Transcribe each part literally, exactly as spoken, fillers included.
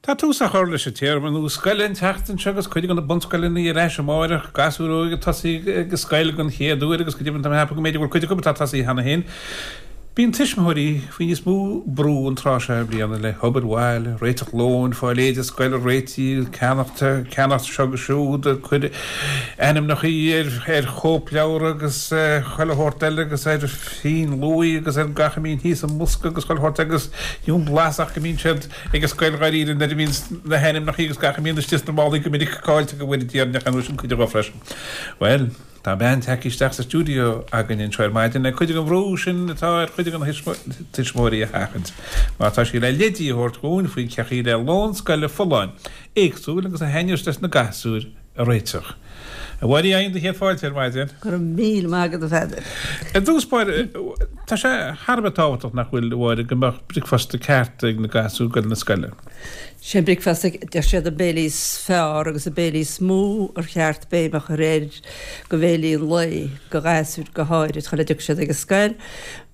Tá tús á chur leis an téarma nua scoile an tseachtain seo agus cuid de na bunscoileanna ar ais amárach, gasúir óga ag tosaí ag an scoil den chéad uair agus go deimhin tá mé ag ceapadh go mb'fhéidir go bhfuil cuid acu atá tosaithe cheana féin. Bíonn tuismitheoirí faoi níos mó brú an tráth seo bliana le hobair bhaile, réiteach lóin, fáil éide scoile réitithe, ceannacht ceannacht seo agus siúd, cur ainmneacha ar ar chóipleabhar agus chuile shórt eile agus ar phinn luaidhe agus ar gach a mbíonn thíos i mbosca agus chuile shórt agus níl blas ach go mbíonn siad ag an scoil dháiríre nuair a bhíonn na hainmneacha agus gach a mbíonn istigh sna málaí go minic caillte go bhfuil deireanach an sin cuid dhó freisin. Well, tá bean tagtha isteach sa stiúideo againn anseo ar maidin le cuid den bhrú sin atá ar chuid de na tuismitheoirí a sheachaint. Mar tá sí le leidí a thabhairt dhúinn faoi cén chaoi le lón scoile folláin, éagsúil agus a thaitneos leis na gasúir a réiteach. A Mháire, fhaigheann do chéad fáilte ar maidin. Go raibh míle maith agat a Pheadair. Ar dtús báire, tá sé thar a bheith tábhachtach nach bhfuil, a Mháire, go mbeadh bricfeasta ceart ag na gasúir ag goil na scoile. Sé bricfeasta, deir siad an béilí is fearr agus an béilí is mó ar cheart béim a chur air do bhéilí an lae, do ghasúir go háirid, chuile dtiocfaidh siad ag an scoil,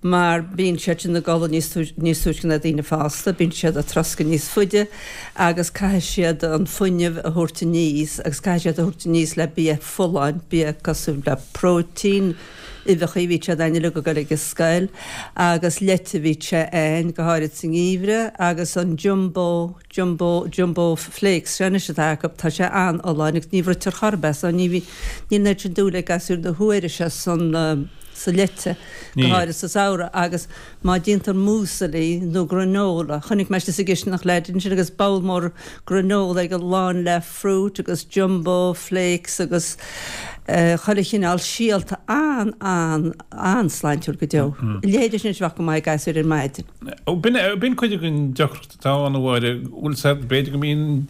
mar bíonn siad sin ag codladh níos níos túisce ná daoine fásta, bíonn siad ag troscadh níos faide agus caithfidh siad an fuinneamh a thabhairt aníos agus caithfidh siad a thabhairt aníos le bia folláin, bia cosúil le próitéin, uibheacha bhí siad ann uilig ag dul ag an scoil agus leite bhí sé ann go háirid sa ngeimhreadh agus an jumbo jumbo jumbo flakes seo anois atá acu tá sé an-fholláin agus ní bhruitear chor ar bith so ní bhí níl an oiread sin dúil ag gasúir na huaire seo san sa leite go háirid sa samhradh agus má déantar muesli nó granola chonaic mé sa gcistineach leaid ansin agus bowl mór granola aige lán le fruit agus jumbo flakes agus chuile chineál síolta an an an-sláintiúil go deo. Leithéid sin bheadh go maith ag gasúir ar maidin. B'in cuid den deacracht atá ann a Mháire, bhfuil sé b'fhéidir go mbíonn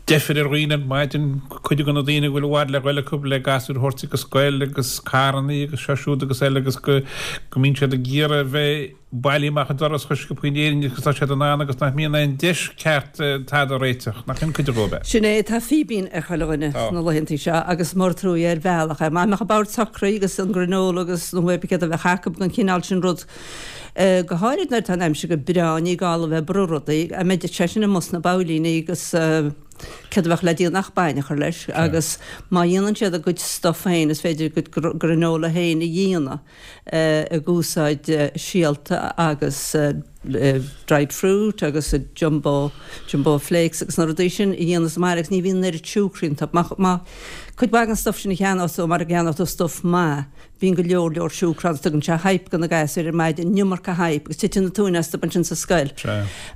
deifir ar dhaoine ar maidin cuid de na daoine go bhfuil i bhfad le goil acu le gasúir a thabhairt ag an scoil agus carrannaí agus seo siúd agus eile agus go go mbíonn siad ag iarraidh bheith bailí amach an doras chomh sciobtha in Éirinn agus tá siad in ann agus nach mbíonn aon deis ceart tada a réiteach nach in cuid dhó Sin é tá fíbín ar chuile dhuine sna laethantaí seo agus mór an trua ar bhealach é. Má mbeadh an bord socraithe agus an granola agus nó céard a bheadh acu an cineál sin rud go háirid nuair atá an aimsir go breá ní gá a bheith ag brú rudaí a mbeidh sé sin amuigh sna babhlaíní agus céard a bheadh le déanamh ach bainne a chur leis agus má dhéanann siad a gcuid stuff féin is féidir a gcuid granola féin a dhéanamh ag úsáid síolta agus dried fruit agus jumbo jumbo flakes agus na rudaí sin a dhéanamh sa mbaile agus ní bhíonn an oiread siúcra iontu. Má cuid mhaith den stuff sin a cheannós tú mar a gceannódh tú stuff maith bíonn go leor leor siúcra ann tugann sé hype do na gasúir ar maidin, an iomarca hype agus titeann an tóin astu ansin sa scoil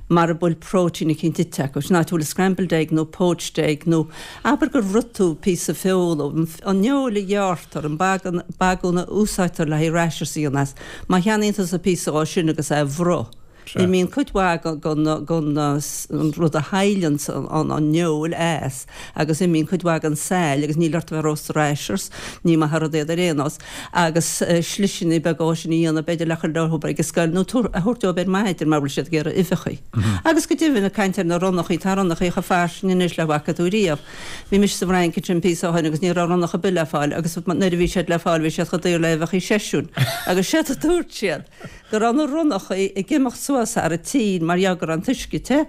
mara bhfuil próitéin eicínt ite acu. Sin áit a bhfuil scrambled egg nó poached egg nó abair gur bhruith tú píosa feola, an fheoil a ghearrtar, an bagún a úsáidtear le haghaidh rashers a dhéanamh as. Má cheannaíonn tusa píosa dhó sin agus é a bhruith, imíonn cuid mhaith den an rud a shailleann an fheoil as agus imíonn cuid mhaith den saill agus níl ort a bheith rósta rashers, ní maith an rud iad ar aon nós, agus sliseanna beaga dhó sin a dhéanamh b'fhéidir le chur leo ag an scoil nó a thabhairt dóibh ar maidin mar bhfuil siad ag iarraidh uibheacha. Agus go deimhin ag caint ar na ronnachaí, tá ronnachaí chomh fairsing anois le bhfaca tú riamh. Bhí mise sa bhFrainc ansin píosa ó shin agus ní raibh ronnach ar bith le fáil agus nuair a bhí siad le fáil bhí siad chomh daor le uibheacha seisiúin agus séard a dúirt siad go raibh na ronnachaí ag imeacht suas thar an tín mar gheall go raibh an t-uisce te.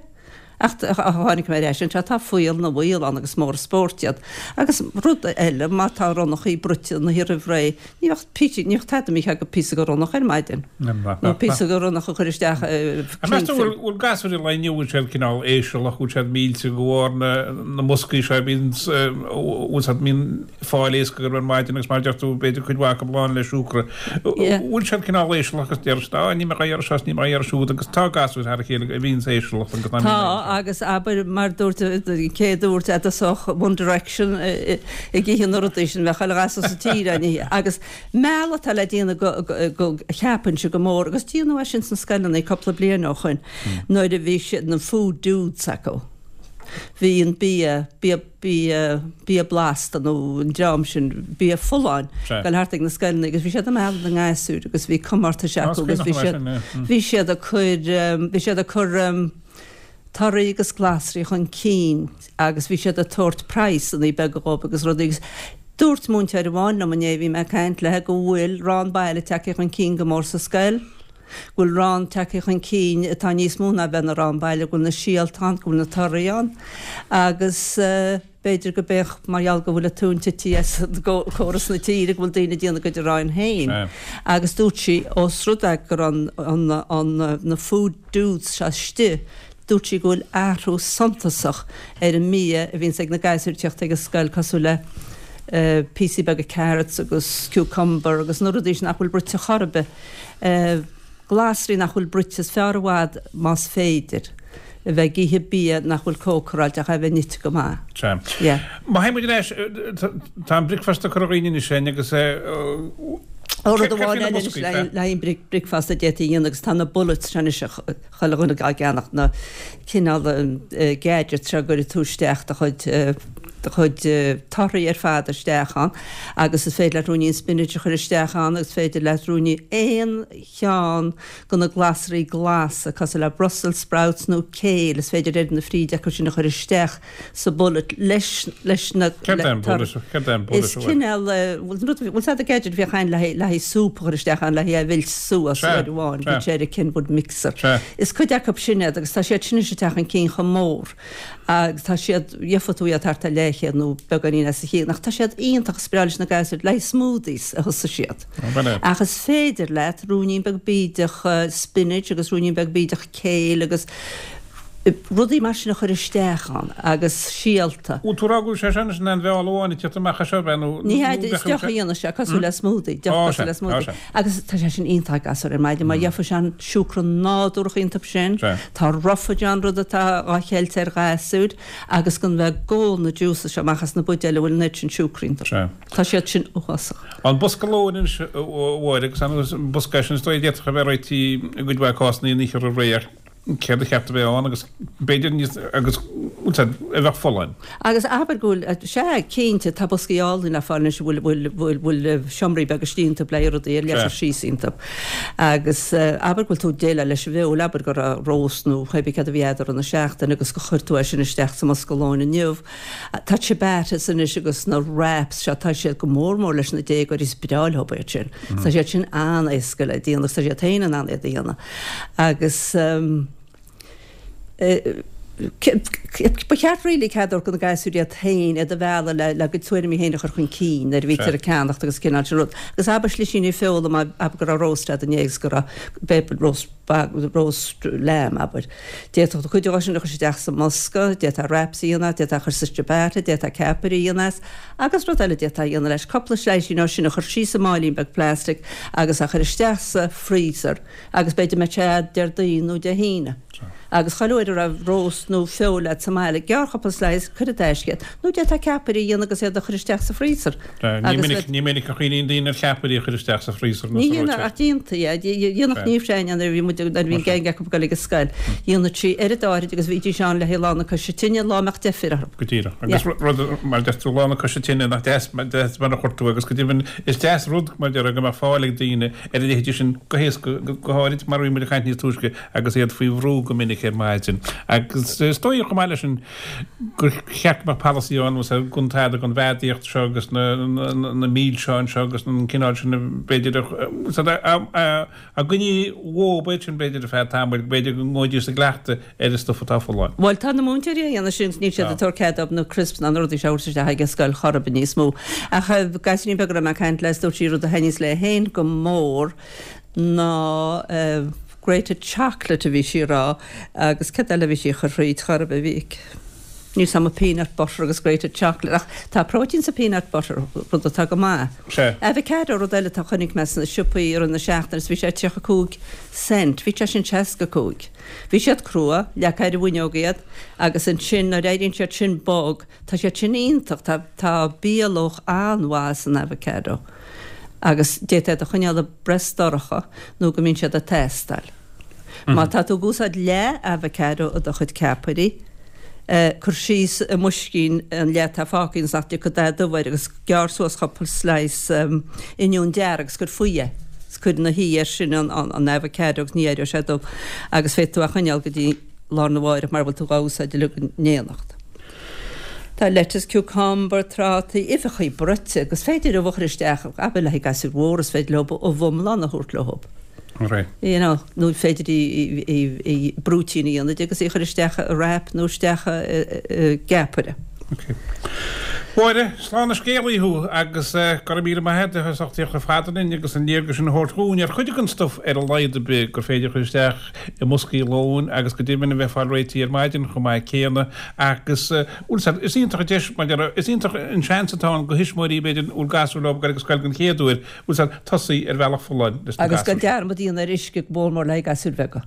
Ach tháinig mé ar ais anseo tá fuíoll na bhfuíoll ann agus mór an spórt iad. Agus rud eile má tá ronnachaí bruite na roimh ré ní bheadh píosa ní bheadh tada imithe agat píosa de ronnach ar maidin. Nó píosa de ronnach a chur isteach Meas tú bhfuil gasúir an lae inniu bhfuil siad cineál éisealach bhfuil siad millte de bharr na na mboscaí seo bíonn bhfuil siad mbíonn fáil éasca ar maidin agus mar deir tú b'fhéidir cuid mhaith acu lán le siúcra. Bhfuil siad cineál éisealach agus deir siad á ní mé iarraidh seo ní mé iarraidh siúd agus tá gasúir thar a chéile a bhíonn éisealach agus Tá agus abair mar dúirt cé dúirt a dtosódh One Direction ag ithe na rudaí sin bheadh chuile ghasúr sa tír á n-ithe agus mealladh atá le déanamh go cheapfainnse go mór agus déanadh é sin sna scoileanna cúpla bliain ó shin nuair a bhí siad na food dudes acu. Bhí an bia bia bia bia blasta nó an dream sin bia folláin ag dul thart ag na scoileanna agus bhí siad ag mealladh na ngasúr agus bhí comórtais acu agus bhí siad bhí siad ag cur bhí siad ag cur torthaí agus glasraí chun cinn agus bhí siad ag tabhairt praghsanna beaga dhóibh agus rudaí agus dúirt múinteoir amháin liom inné bhí mé ag caint léi go bhfuil rán baile tagtha chun cinn go mór sa scoil. go bhfuil arán tagtha chun cinn atá níos mó ná bheith ina arán baile, go bhfuil na síolta ann, go bhfuil na torthaí ann agus b'fhéidir go mbeadh, mar gheall go bhfuil an tóin tite as córas na tíre, go bhfuil daoine ag déanamh a gcuid aráin féin. Agus dúirt sí, ós rud é go raibh an, an, na food dudes seo istigh, dúirt sí go bhfuil athrú suntasach ar an mbia a bhíonns ag na gasúir ag teacht ag an scoil cosúil le píosaí beaga carrots agus cucumber agus na rudaí sin nach bhfuil bruite chor ar bith, glasraí nach bhfuil bruite, is fearr i bhfad más féidir a bheith ag ithe bia nach bhfuil cócaráilte ach é a bheith nite go maith. Sea. Yeah. Má théann muid ar ais, tá an bricfeasta curtha againn anois againn agus Ó rud amháin eile anois le haghaidh an bricfeasta a d'fhéadfaí a dhéanamh agus tá na bullets seo anois chuile dhuine á gceannach, na cineál gadgets seo a gcuirfidh tú isteach do chuid do chuid torthaí ar fad isteach ann agus is féidir leat ruainnín spinach a chur isteach ann agus is féidir leat ruainnín aon cheann de na glasraí glasa cosúil le Brussels sprouts nó kale is féidir oiread na fríde acu sin a chur isteach sa bullet leis leis na Céard é an bullet? Céard é an bullet? Is cineál bhfuil rud bhfuil a fhios agat gadget a bhíodh ann le haghaidh le haghaidh súp a chur isteach ann le haghaidh é a mheilt suas Sea, uair amháin sea. bhí sé ar an Kenwood mixer. Sea. Is cuid acu sin iad agus tá siad sin anois ag teacht chun cinn chomh mór agus tá siad gheofá tú iad thart ar leathchéad nó beagáinín as a chionn ach tá siad iontach is breá leis na gasúir le haghaidh smoothies a thosaigh siad. Ó, b'in é. Ach is féidir leat ruainnín beag bídeach spinach agus ruainnín beag bídeach kale agus rudaí mar sin a chur isteach ann agus síolta. Bhfuil tú ag rá go bhfuil sé sin in aon bheáil amháin ag tíocht amach as seo, ab ea, nó Ní hea, is deoch a dhéanamh sé, cosúil le smoothie, deoch Ó, cosúil sea, le ó, smoothie. sea. Agus tá sé sin iontach ag gasúir ar maidin mar gheofá sé an siúcra nádúrach iontu sin, Sea. tá roughage ann, rud atá dhá cheilt ar ghasúir, agus gan bheith ag ól na juices seo amach as na buidéil a bhfuil an oiread sin siúcra iontu. Sea. Tá siad sin uafásach. An bosca lóin anois, a Mháire, agus an bosca sin is dóigh a d'fhéadfadh a bheith réitithe i gcuid mhaith cásanna an oíche roimh ré ach céard a cheart a bheith ann agus b'fhéidir níos agus a bheadh folláin. Agus abair go bhfuil, sea, cinnte, tá boscaí álainn le fáil anois a bhfuil, bhfuil, bhfuil, bhfuil seomraí beaga istigh iontu le rudaí ar leith a chur síos iontu. Agus abair go bhfuil tú ag déileáil leis an bhfeoil, abair go raibh roast nó pé bith céard a bhí agat i rith na seachtaine agus gur chuir tú é sin isteach sa mbosca lóin inniu. Tá ciabattas anois agus na wraps seo, tá siad go mór mór leis na déagóirí, is breá leo iad sin. Tá siad sin an-éasca le déanamh agus tá siad féin in ann iad a dhéanamh. Agus ba cheart really cead a thabhairt do na gasúir iad féin iad a mhealladh le le a gcuid tuairimí féin a chur chun cinn nuair a bhítear ag ceannacht agus cineál sin rud. Agus abair slisíní feola má abair go raibh roast agat inné agus go raibh b'fhéidir roast roast lamb abair. D'fhéadfadh tú cuid de sin a chur isteach sa mbosca, d'fhéadfá wraps a dhéanamh, d'fhéadfá a chur sa ciabatta, d'fhéadfá ceapairí a dhéanamh as, agus rud eile d'fhéadfá a dhéanamh leis, cúpla slisín ó sin a chur síos i máilín beag plastic agus a chur isteach sa freezer agus b'fhéidir mbeadh sé agat Déardaoin nó Dé hAoine. Agus chuile uair a raibh roast nó feoil agat sa mbaile, gearr cúpla slice, cuir i dtaisce iad, nó d'fhéadfá ceapairí a dhéanamh agus iad a chur isteach sa freezer. Ní Agus minic, ní minic a chuimhníonn daoine ar cheapairí a chur isteach sa freezer nó Ní sa dhéanadh reoiteoir. ach déantaí é. Dhéanadh Niamh Seáin nuair a bhí muid nuair a bhí an gang acu ag dul ag an scoil. Dhéanadh sí oiread áirid agus bhídís ann le haghaidh lá na coise tine, lá a mbeadh deifir orthu. Go díreach. Agus rud mar deir tú lá na coise tine nach deas deas mar a chuir tú agus go deimhin is deas rud mar deir go mbeadh fáil ag daoine ar a leithéidí sin go héasca go háirid mar a bhí muid ag caint níos túisce agus iad faoi bhrú go minic ar maidin. Agus is dóigh chomh maith leis sin gur cheart go mbeadh polasaí ann agus gan tada den bheadaíocht seo agus na na milseáin seo agus an cineál sin b'fhéidir a a gcoinní uathu sin b'fhéidir ar feadh tamaill b'fhéidir go ngabhfaidís i gcleachtadh ar an stuif atá folláin. Bhuel tá na múinteoirí á dhéanamh sin níl siad ag tabhairt cead dóibh na crisps ná na rudaí seo a thabhairt isteach ag an scoil chor ar bith níos mó. Ach gasúirín beag a raibh mé ag caint leis dúirt sí rud a thaitníos léi féin go mór ná grated chocolate a bhí sí a rá agus cad eile a bhí sí a chur thríd chor ar bith bhí níl 's a'm peanut butter agus grated chocolate ach tá próitéin sa peanut butter rud atá go maith. Sea. Avocado rud eile atá chonaic mé sna siopaí i rith na seachtaine is bhí sé tríocha cúig cent, bhí sé sin seasca cúig. Bhí siad crua, leagfá ar an bhfuinneog iad agus ansin nuair a éiríonn siad sin bog, tá siad sin iontach, tá tá bialuach an-mhaith san avocado. Agus d'fhéadfá iad a choinneáil i bpress dorcha nó go mbíonn siad ag teastáil. Má tá tú ag úsáid leath avocado i do chuid ceapairí, cuir síos i mboiscín an leath atá fágtha ionas nach dtiocfaidh dath dubh air agus gearr suas cúpla slice oinniún dearg agus cuir faoi é. Is cuir ina shuí air sin an avocado agus ní éireoidh sé dubh agus féadfaidh tú é a choinneáil go dtí lá arna mháireach mara bhfuil tú dhá úsáid uilig in éineacht. Tá lettuce, cucumber, trátaí, uibheachaí bruite agus féidir ubh a chur isteach, abair le haghaidh gasúir mhóra is féidir leo ubh iomlán a thabhairt leo. Right. You know, nó féidir í, í, í brúitín a dhéanamh di agus í a chur isteach i wrap nó isteach i gceapaire. Ok. Mháire, slán na scéalaí thú agus go raibh míle maith agat as ucht a theacht chomh fada linn agus an léargas sin a thabhairt dhúinn ar chuid den stuif ar a laghad ar bith gur féidir a chur isteach i mboscaí lóin agus go deimhin a bheith fáil réitithe ar maidin chomh maith céanna agus bhfuil fhios is iontach an deis mar a déarfá, is iontach an seans atá ann do thuismitheoirí b'fhéidir a bhfuil gasúir leo ag dul ag scoil den chéad uair, bhfuil fhios tosaí ar bhealach folláin leis na Agus gan gasúir. dearmad a dhéanamh ar uisce go mór mór le haghaidh gasúir bheaga.